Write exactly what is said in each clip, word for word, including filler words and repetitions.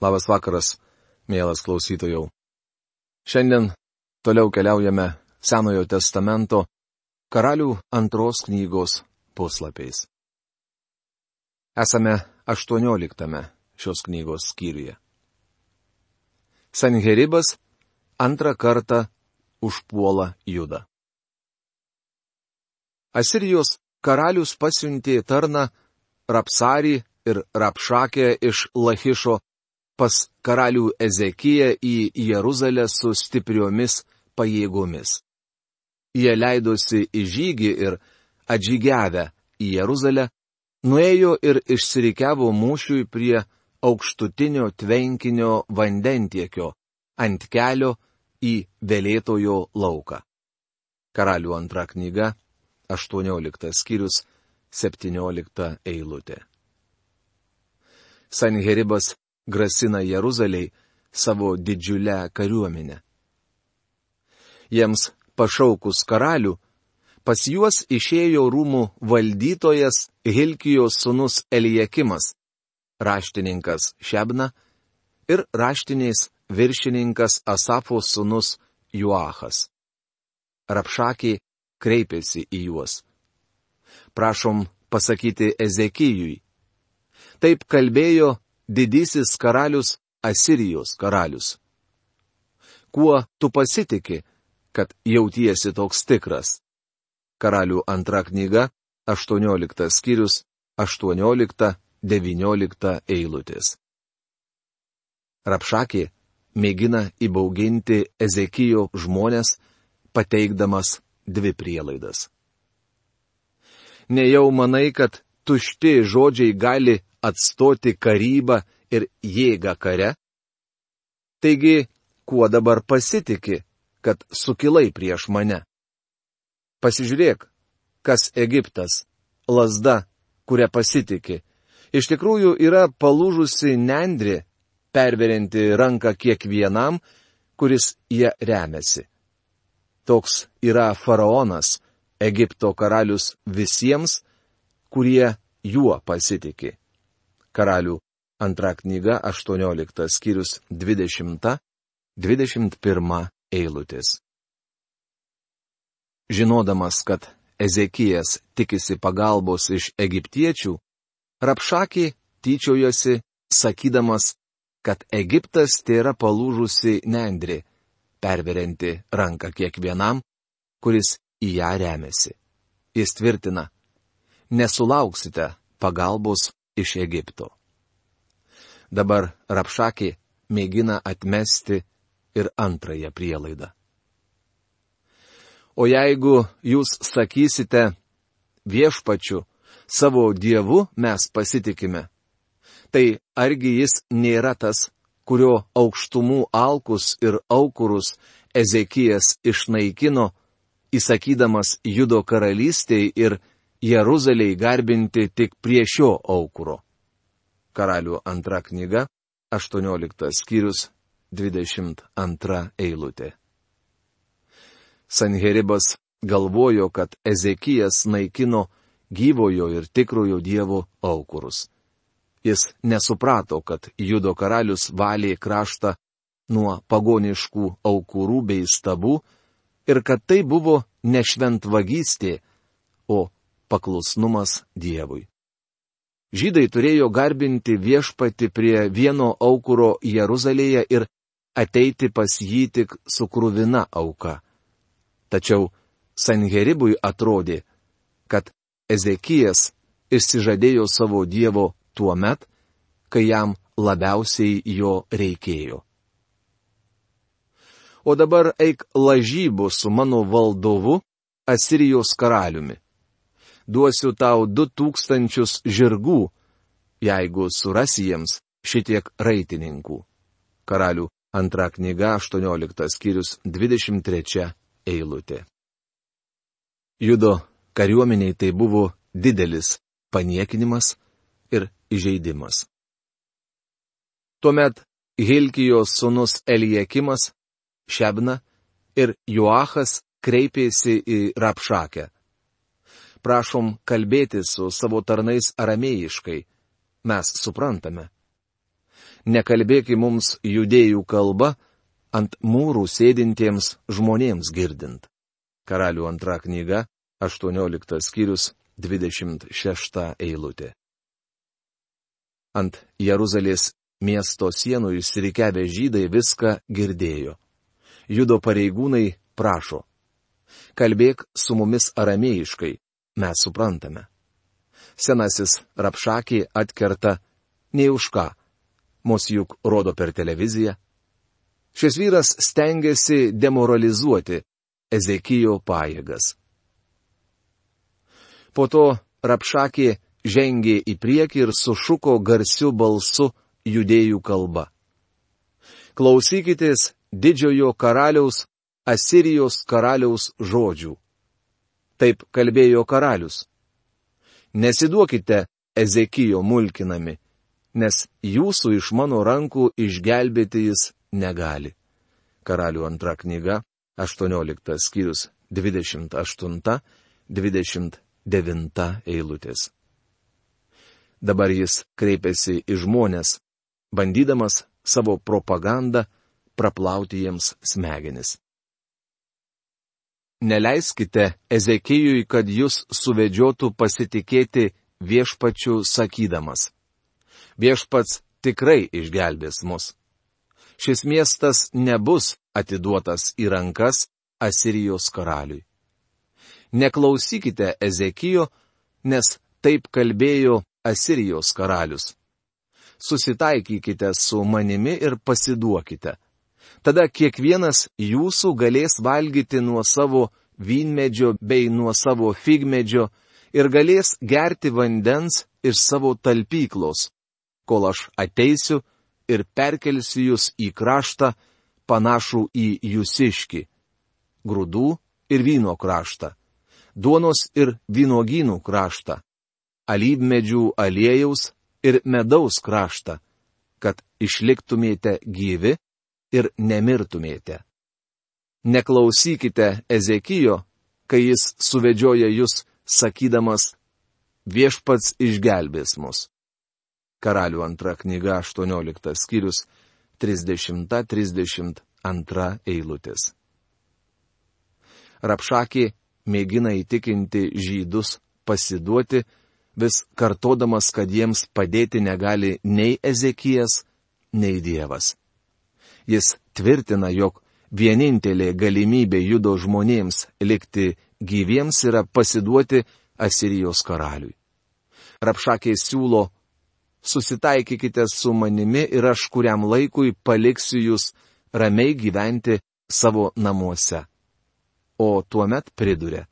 Labas vakaras, mielas klausytojau. Šiandien toliau keliaujame Senojo testamento Karalių antros knygos puslapiais. Esame aštuonioliktame šios knygos skyriuje. Sanheribas antrą kartą užpuola Judą. Asirijos karalius pasiuntė tarną Rapsarį ir Rapšakę iš Lachišo pas karalių Ezekiją į Jeruzalę su stipriomis pajėgomis. Jie leidosi į žygį ir atžygiavę į Jeruzalę, nuėjo ir išsirikiavo mūšiui prie aukštutinio tvenkinio vandentiekio ant kelio į Velėtojo lauką. Karalių antra knyga, aštuonioliktas skyrius, septyniolikta eilutė. Sanheribas grasina Jeruzalei savo didžiulę kariuomenę. Jiems pašaukus karalių, pas juos išėjo rūmų valdytojas Hilkijos sūnus Elijakimas, raštininkas Šebna ir raštiniais viršininkas Asafo sūnus Joachas. Rapšakė kreipėsi į juos. Prašom pasakyti Ezekijui. Taip kalbėjo didysis karalius Asirijos karalius. Kuo tu pasitiki, kad jautiesi toks tikras? Karalių antra knyga, aštuonioliktas skyrius, aštuoniolikta, devyniolikta eilutės. Rapšakė mėgina įbauginti Ezekijo žmones, pateikdamas dvi prielaidas. Nejau manai, kad tušti žodžiai gali atstoti karybą ir jėgą kare? Taigi, kuo dabar pasitiki, kad sukilai prieš mane? Pasižiūrėk, kas Egiptas, lazda, kurią pasitiki, iš tikrųjų yra palūžusi nendrė, perverianti ranką kiekvienam, kuris ją remiasi. Toks yra faraonas, Egipto karalius visiems, kurie juo pasitiki. Karalių antra knyga, aštuonioliktas skyrius, dvidešimta, dvidešimt pirma eilutės. Žinodamas, kad Ezekijas tikisi pagalbos iš egiptiečių, Rapšakė tyčiojosi, sakydamas, kad Egiptas tėra palūžusi nendrė, perverianti ranką kiekvienam, kuris į ją remiasi. Jis tvirtina, nesulauksite pagalbos iš Egipto. Dabar Rapšakė mėgina atmesti ir antrąją prielaidą. O jeigu jūs sakysite, viešpačiu, savo dievu mes pasitikime, tai argi jis nėra tas, kurio aukštumų alkus ir aukurus Ezekijas išnaikino, įsakydamas Judo karalystei ir Jeruzalei garbinti tik prie šio aukuro. Karalių antra knyga, aštuonioliktas skyrius, dvidešimt antra eilutė. Sanheribas galvojo, kad Ezekijas naikino gyvojo ir tikrojo Dievo aukurus. Jis nesuprato, kad Judo karalius valė kraštą nuo pagoniškų aukurų bei stabų ir kad tai buvo ne šventvagystė, o paklusnumas Dievui. Žydai turėjo garbinti viešpatį prie vieno aukuro Jeruzalėje ir ateiti pas jį tik su kruvina auka. Tačiau Sanheribui atrodė, kad Ezekijas išsižadėjo savo Dievo tuo met, kai jam labiausiai jo reikėjo. O dabar eik lažybų su mano valdovu, Asirijos karaliumi. Duosiu tau du tūkstančius žirgų, jeigu surasi jiems šitiek raitininkų. Karalių antra knyga, aštuonioliktas skyrius, dvidešimt trečia eilutė. Judo kariuomeniai tai buvo didelis paniekinimas ir įžeidimas. Tuomet Hilkijos sūnus Elijakimas, Šebna ir Joachas kreipėsi į Rapšakę. Prašom kalbėti su savo tarnais aramėjiškai, mes suprantame. Nekalbėki mums judėjų kalba ant mūrų sėdintiems žmonėms girdint. Karalių antra knyga, aštuonioliktas skyrius, dvidešimt šešta eilutė. Ant Jeruzalės miesto sienų išsirikiavę žydai viską girdėjo. Judo pareigūnai prašo: kalbėk su mumis aramėjiškai, mes suprantame. Senasis Rabšakė atkerta: nei už ką, mus juk rodo per televiziją. Šis vyras stengiasi demoralizuoti Ezekijo pajėgas. Po to Rabšakė žengė į priekį ir sušuko garsiu balsu judėjų kalba: klausykitės didžiojo karaliaus, Asirijos karaliaus žodžių. Taip kalbėjo karalius: nesiduokite Ezekijo mulkinami, nes jūsų iš mano rankų išgelbėti jis negali. Karalių antra knyga, aštuonioliktas skyrius, dvidešimt aštunta, dvidešimt devinta eilutės. Dabar jis kreipiasi į žmonės, bandydamas savo propagandą praplauti jiems smegenis. Neleiskite Ezekijui, kad jūs suvedžiotų pasitikėti viešpačiu sakydamas: viešpats tikrai išgelbės mus. Šis miestas nebus atiduotas į rankas Asirijos karaliui. Neklausykite Ezekijo, nes taip kalbėjo Asirijos karalius. Susitaikykite su manimi ir pasiduokite. Tada kiekvienas jūsų galės valgyti nuo savo vynmedžio bei nuo savo figmedžio ir galės gerti vandens iš savo talpyklos, kol aš ateisiu ir perkelsiu jūs į kraštą panašų į jūsiškį, grūdų ir vyno kraštą, duonos ir vynogynų kraštą, alyvmedžių aliejaus ir medaus kraštą, kad išliktumėte gyvi ir nemirtumėte. Neklausykite Ezekijo, kai jis suvedžioja jūs, sakydamas: viešpats išgelbės mus. Karalių antra knyga, aštuonioliktas skyrius, trisdešimta trisdešimt antra eilutės. Rabšakė mėgina įtikinti žydus pasiduoti, vis kartodamas, kad jiems padėti negali nei Ezekijas, nei Dievas. Jis tvirtina, jog vienintelė galimybė Judo žmonėms likti gyviems yra pasiduoti Asirijos karaliui. Rabšakė siūlo: susitaikykite su manimi ir aš kuriam laikui paliksiu jūs ramiai gyventi savo namuose. O tuomet priduria: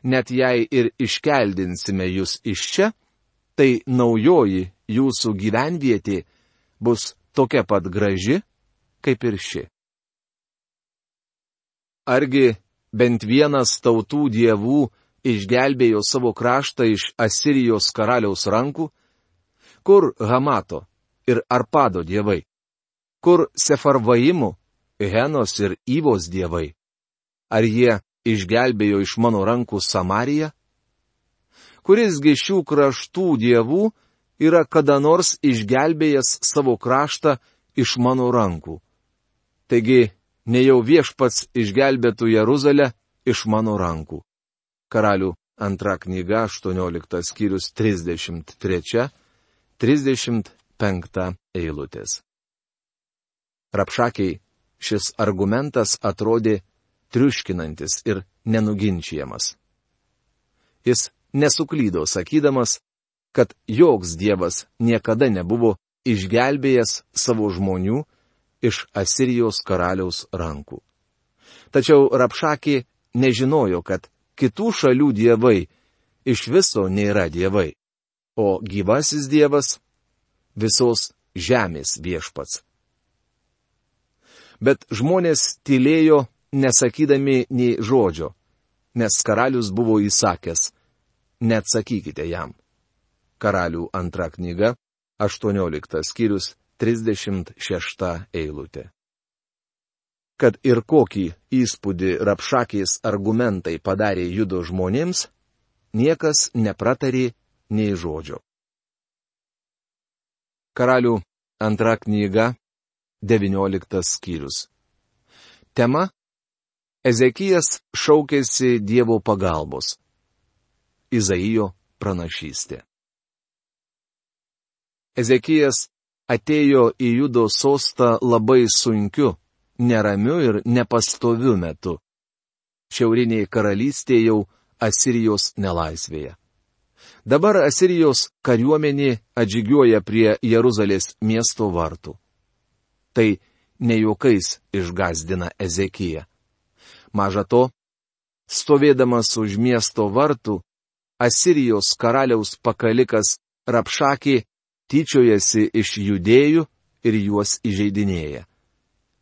net jei ir iškeldinsime jūs iš čia, tai naujoji jūsų gyvenvietė bus tokia pat graži, kaip ir ši. Argi bent vienas tautų dievų išgelbėjo savo kraštą iš Asirijos karaliaus rankų? Kur Hamato ir Arpado dievai? Kur Sefarvaimų, Henos ir Ivos dievai? Ar jie išgelbėjo iš mano rankų Samariją? Kurisgi šių kraštų dievų yra kada nors išgelbėjęs savo kraštą iš mano rankų? Taigi, nejau viešpats išgelbėtų Jeruzalę iš mano rankų. Karalių antra knyga, aštuonioliktas skyrius, trisdešimt trečia, trisdešimt penkta eilutės. Rabšakei šis argumentas atrodė triuškinantis ir nenuginčiamas. Jis nesuklydo sakydamas, kad joks dievas niekada nebuvo išgelbėjęs savo žmonių iš Asirijos karaliaus rankų. Tačiau Rabšakė nežinojo, kad kitų šalių dievai iš viso nėra dievai, o gyvasis dievas visos žemės viešpats. Bet žmonės tylėjo, nesakydami nei žodžio, nes karalius buvo įsakęs: neatsakykite jam. Karalių antra knyga, aštuonioliktas skyrius, trisdešimt šešta eilutė. Kad ir kokį įspūdį Rabšakės argumentai padarė Judo žmonėms, niekas nepratarė nei žodžio. Karalių Antra knyga, devynioliktas skyrius. Tema - Ezekijas šaukėsi Dievo pagalbos. Izaijo pranašystė. Ezekijas atėjo į Judo sostą labai sunkiu, neramiu ir nepastoviu metu. Šiaurinėje karalystėje jau Asirijos nelaisvėje. Dabar Asirijos kariuomenė atžygiuoja prie Jeruzalės miesto vartų. Tai ne juokais išgąsdina Ezekiją. Maža to, stovėdamas už miesto vartų, Asirijos karaliaus pakalikas Rapšakė tyčiojasi iš judėjų ir juos įžeidinėja.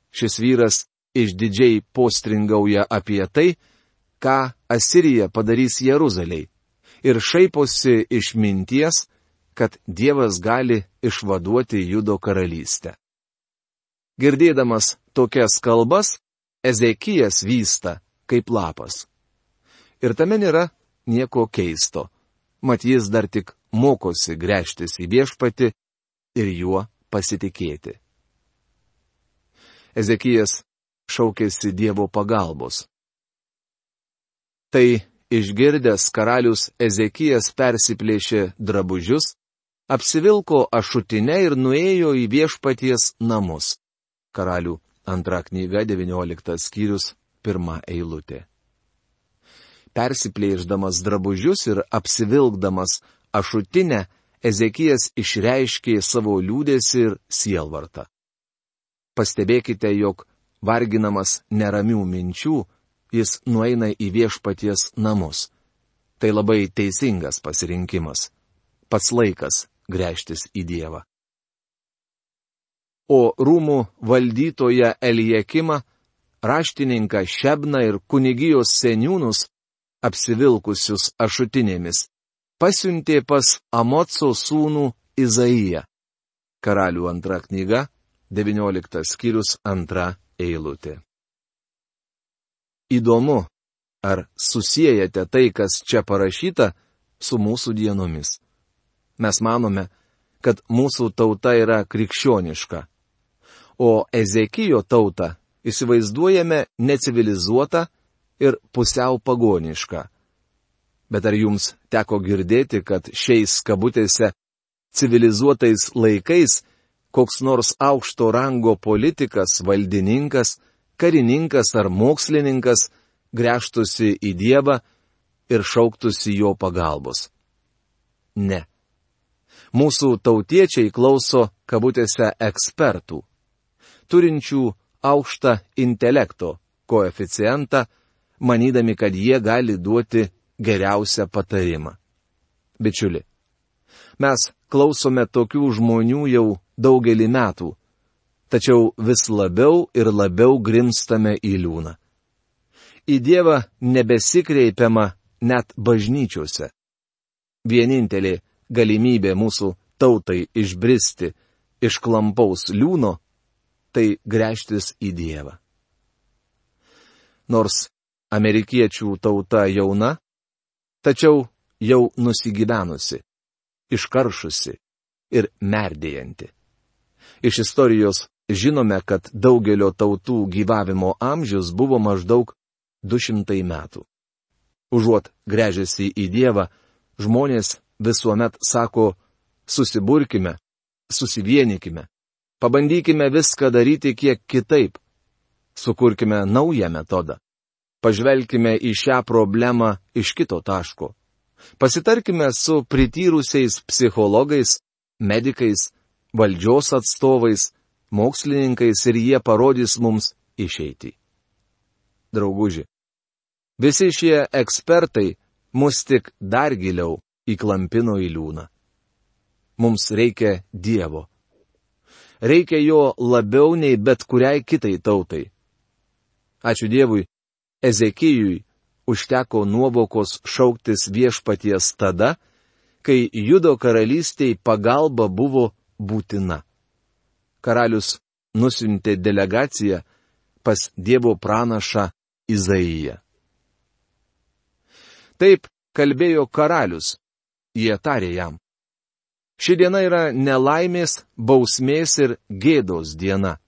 Šis vyras išdidžiai postringauja apie tai, ką Asirija padarys Jeruzalei, ir šaiposi iš minties, kad Dievas gali išvaduoti Judo karalystę. Girdėdamas tokias kalbas, Ezekijas vysta kaip lapas. Ir tame nėra nieko keisto, mat jis dar tik mokosi gręžtis į Viešpatį ir juo pasitikėti. Ezekijas šaukėsi Dievo pagalbos. Tai išgirdęs karalius Ezekijas persiplėšė drabužius, apsivilko ašutinę ir nuėjo į Viešpaties namus. Karalių antra knyga, devynioliktas skyrius, pirma eilutė. Persiplėšdamas drabužius ir apsivilkdamas ašutinę, Ezekijas išreiškė savo liūdesį ir sielvartą. Pastebėkite, jog varginamas neramių minčių, jis nueina į Viešpaties namus. Tai labai teisingas pasirinkimas. Pats laikas gręžtis į Dievą. O rūmų valdytoją Elijakimą, raštininką Šebną ir kunigijos seniūnus, apsivilkusius ašutinėmis, pasiuntė pas Amoco sūnų Izaiją. Karalių antra knyga, devynioliktas skyrius, antra eilutė. Įdomu, ar susiejate tai, kas čia parašyta, su mūsų dienomis. Mes manome, kad mūsų tauta yra krikščioniška, o Ezekijo tautą įsivaizduojame necivilizuotą ir pusiau pagonišką. Bet ar jums teko girdėti, kad šiais kabutėse civilizuotais laikais koks nors aukšto rango politikas, valdininkas, karininkas ar mokslininkas gręžtųsi į Dievą ir šauktųsi jo pagalbos? Ne. Mūsų tautiečiai klauso kabutėse ekspertų, turinčių aukštą intelekto koeficientą, manydami, kad jie gali duoti geriausią patarimą. Bičiuli, mes klausome tokių žmonių jau daugelį metų, tačiau vis labiau ir labiau grimstame į liūną. Į Dievą nebesikreipiama net bažnyčiose. Vienintelė galimybė mūsų tautai išbristi iš klampaus liūno – tai gręžtis į Dievą. Nors amerikiečių tauta jauna, tačiau jau nusigyvenusi, iškaršusi ir merdėjanti. Iš istorijos žinome, kad daugelio tautų gyvavimo amžius buvo maždaug du šimtai metų. Užuot gręžęsi į Dievą, žmonės visuomet sako, susiburkime, susivienykime, pabandykime viską daryti kiek kitaip, sukurkime naują metodą, pažvelkime į šią problemą iš kito taško, pasitarkime su prityrusiais psichologais, medikais, valdžios atstovais, mokslininkais ir jie parodys mums išeitį. Drauguži, visi šie ekspertai mus tik dar giliau įklampino į liūną. Mums reikia Dievo. Reikia jo labiau nei bet kuriai kitai tautai. Ačiū Dievui, Ezekijui užteko nuovokos šauktis Viešpaties tada, kai Judo karalystei pagalba buvo būtina. Karalius nusiuntė delegaciją pas Dievo pranašą Izaiją. Taip kalbėjo karalius, jie tarė jam: Ši diena yra nelaimės, bausmės ir gėdos diena.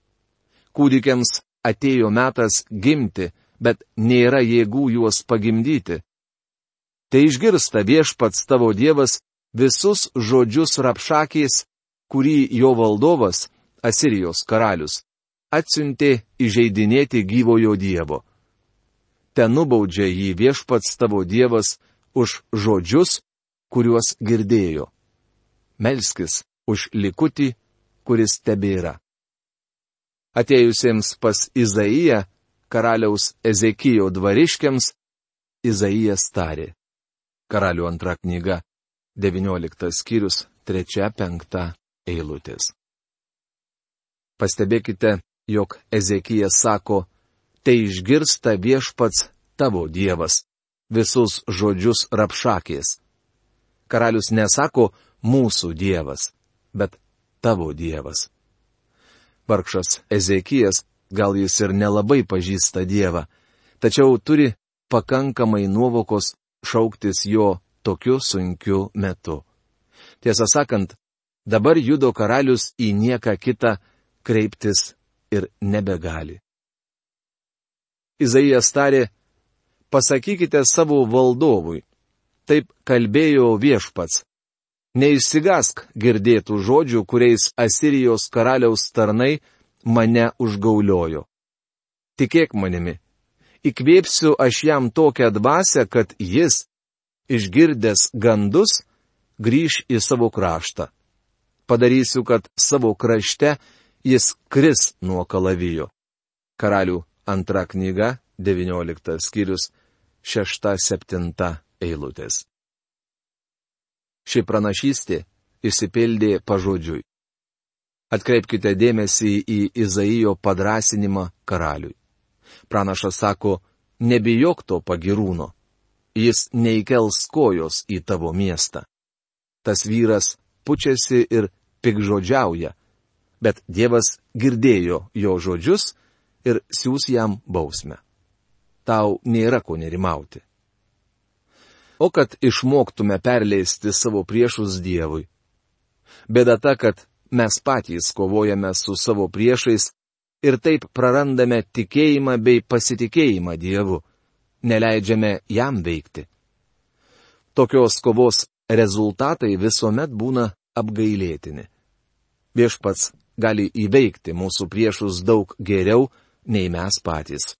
Kūdikiams atėjo metas gimti, bet nėra jėgų juos pagimdyti. Tai išgirsta viešpats tavo Dievas visus žodžius Rapšakės, kurį jo valdovas, Asirijos karalius, atsiuntė įžeidinėti gyvojo Dievo. Ten nubaudžia jį viešpats tavo Dievas už žodžius, kuriuos girdėjo. Melskis už likutį, kuris tebėra. Atėjusiems pas Izaiją, karaliaus Ezekijo dvariškiams, Izaijas tarė. Karalių antra knyga, devynioliktas skyrius, trečia, penkta eilutės. Pastebėkite, jog Ezekijas sako, tai išgirsta viešpats tavo Dievas, visus žodžius Rapšakės. Karalius nesako mūsų Dievas, bet tavo Dievas. Vargšas Ezekijas, gal jis ir nelabai pažįsta Dievą, tačiau turi pakankamai nuovokos šauktis jo tokiu sunkiu metu. Tiesą sakant, dabar Judo karalius į nieką kitą kreiptis ir nebegali. Izaijas tarė, pasakykite savo valdovui, taip kalbėjo viešpats. Neišsigask girdėtų žodžių, kuriais Asirijos karaliaus tarnai mane užgauliojo. Tikėk manimi, įkvėpsiu aš jam tokią dvasią, kad jis, išgirdęs gandus, grįš į savo kraštą. Padarysiu, kad savo krašte jis kris nuo kalavijo. Karalių antra knyga, devynioliktas skyrius, šešta, septinta eilutės. Ši pranašystė išsipildė pažodžiui. Atkreipkite dėmesį į Izaijo padrasinimą karaliui. Pranašas sako, nebijok to pagirūno. Jis neįkels kojos į tavo miestą. Tas vyras pučiasi ir pikžodžiauja, bet Dievas girdėjo jo žodžius ir siūs jam bausmę. Tau nėra ko nerimauti. O kad išmoktume perleisti savo priešus Dievui. Bėda ta, kad mes patys kovojame su savo priešais ir taip prarandame tikėjimą bei pasitikėjimą Dievu, neleidžiame jam veikti. Tokios kovos rezultatai visuomet būna apgailėtini. Viešpats gali įveikti mūsų priešus daug geriau nei mes patys.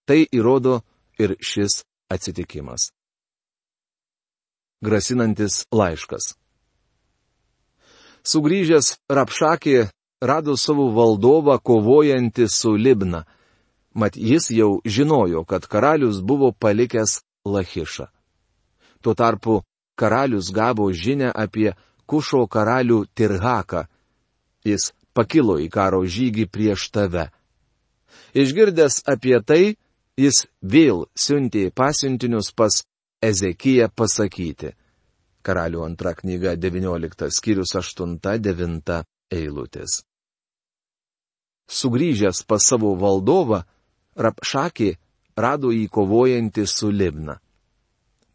Tai įrodo ir šis atsitikimas. Grasinantis laiškas. Sugrįžęs Rapšakė rado savo valdovą kovojantį su Libna, mat jis jau žinojo, kad karalius buvo palikęs Lachišą. Tuo tarpu karalius gavo žinią apie Kušo karalių Tirhaką. Jis pakilo į karo žygį prieš tave. Išgirdęs apie tai, jis vėl siuntė pasiuntinius pas Ezekiją pasakyti. Karalių antra knyga, devynioliktas skyrius, aštunta, devinta eilutės. Sugrįžęs pas savo valdovą, Rapšakė rado jį kovojantį su Libna.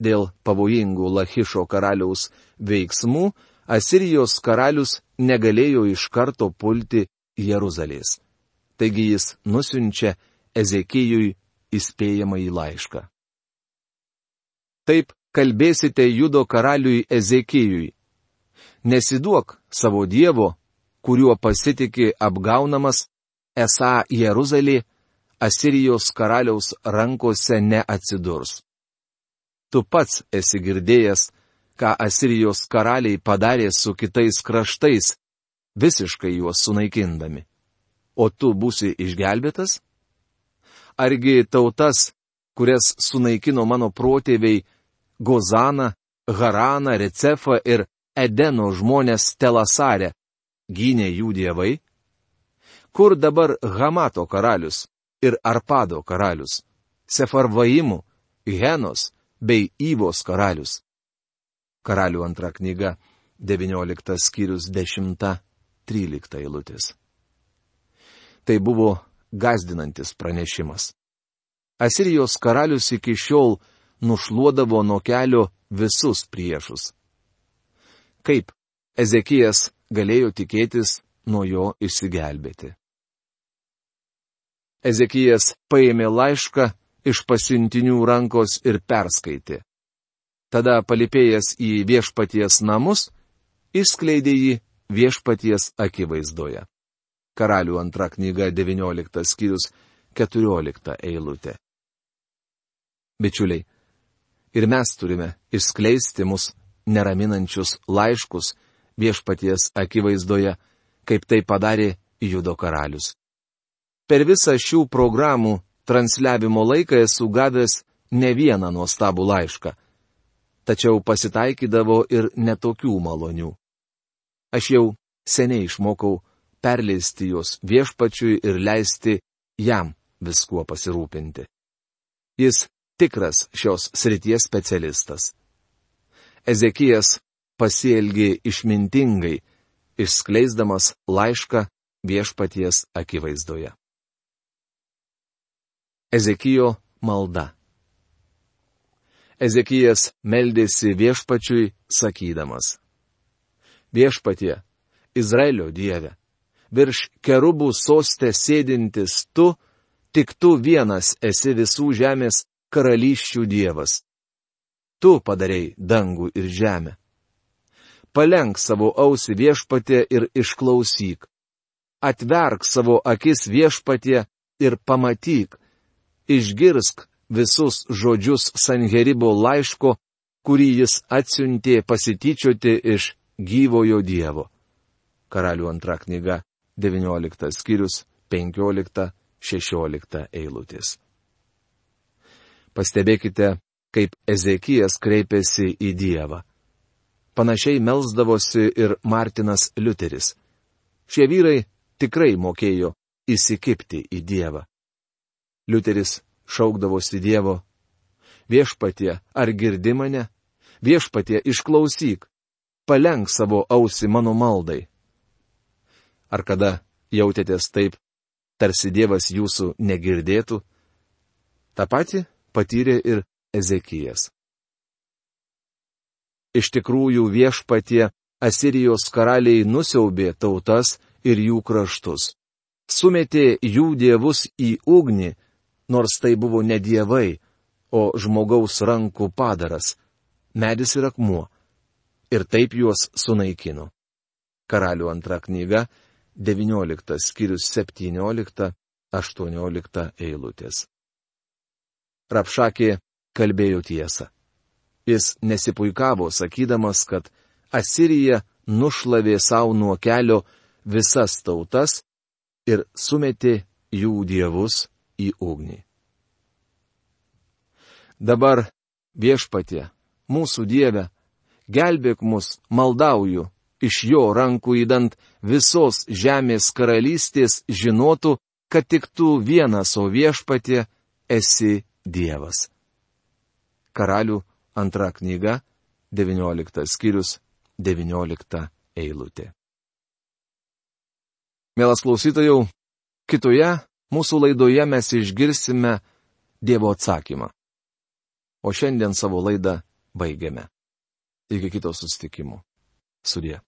Dėl pavojingų Lachišo karaliaus veiksmų, Asirijos karalius negalėjo iš karto pulti Jeruzalės. Taigi jis nusiunčia Ezekijui įspėjamąjį laišką. Taip kalbėsite Judo karaliui Ezekijui. Nesiduok savo Dievo, kuriuo pasitiki apgaunamas, esą Jeruzalė Asirijos karaliaus rankose neatsidurs. Tu pats esi girdėjęs, ką Asirijos karaliai padarė su kitais kraštais, visiškai juos sunaikindami. O tu būsi išgelbėtas? Argi tautas, kurias sunaikino mano protėviai, Gozaną, Haraną, Recefą ir Edeno žmonės Telasare, gynė jų dievai? Kur dabar Hamato karalius ir Arpado karalius, Sefarvaimų, Henos bei Ivos karalius? Karalių antra knyga, devynioliktas skyrius, dešimta, trylikta eilutės. Tai buvo gąsdinantis pranešimas. Asirijos karalius iki šiol nušluodavo nuo kelio visus priešus. Kaip Ezekijas galėjo tikėtis nuo jo išsigelbėti. Ezekijas paėmė laišką iš pasiuntinių rankos ir perskaitė. Tada palipėjęs į viešpaties namus, išskleidė jį viešpaties akivaizdoje. Karalių antra knyga devynioliktas skyrius keturiolikta eilutė. Bičiuliai, ir mes turime išskleisti mus neraminančius laiškus viešpaties akivaizdoje, kaip tai padarė Judo karalius. Per visą šių programų transliavimo laiką esu gavęs ne vieną nuostabų laišką, tačiau pasitaikydavo ir netokių malonių. Aš jau seniai išmokau perleisti juos viešpačiui ir leisti jam viskuo pasirūpinti. Jis tikras šios srities specialistas. Ezekijas pasielgė išmintingai, išskleisdamas laišką viešpaties akivaizdoje. Ezekijo malda. Ezekijas meldėsi viešpačiui, sakydamas: Viešpatie, Izraelio Dieve, virš kerubų soste sėdintis tu, tik tu vienas esi visų žemės karalysčių Dievas. Tu padarei dangų ir žemę. Palenk savo ausį viešpatie ir išklausyk. Atverk savo akis viešpatie ir pamatyk. Išgirsk visus žodžius Sanheribo laiško, kurį jis atsiuntė pasityčioti iš gyvojo Dievo. Karalių antra knyga, devynioliktas skyrius, penkiolikta šešiolikta eilutės. Pastebėkite, kaip Ezekijas kreipėsi į Dievą. Panašiai melsdavosi ir Martinas Liuteris. Šie vyrai tikrai mokėjo įsikibti į Dievą. Liuteris šaukdavosi Dievo: Viešpatie, ar girdi mane? Viešpatie, išklausyk. Palenk savo ausį mano maldai. Ar kada jautėtės taip, tarsi Dievas jūsų negirdėtų? Ta pati patyrė ir Ezekijas. Iš tikrųjų viešpatie Asirijos karaliai nusiaubė tautas ir jų kraštus. Sumetė jų dievus į ugnį, nors tai buvo ne dievai, o žmogaus rankų padaras, medis ir akmuo, ir taip juos sunaikino. Karalių antra knyga, devynioliktas skyrius septyniolikta aštuoniolikta eilutės. Rapšakė kalbėjo tiesą. Jis nesipuikavo, sakydamas, kad Asirija nušlavė savo nuo kelio visas tautas ir sumetė jų dievus į ugnį. Dabar, viešpatie, mūsų Dieve, gelbėk mus, maldauju, iš jo rankų įdant visos žemės karalystės žinotų, kad tik tu vienas, o viešpatie, esi Dievas. Karalių antra knyga, devynioliktas skyrius, devyniolikta eilutė. Mielas klausytojau, kitoje mūsų laidoje mes išgirsime Dievo atsakymą. O šiandien savo laidą baigiame. Iki kito susitikimo. Sudie.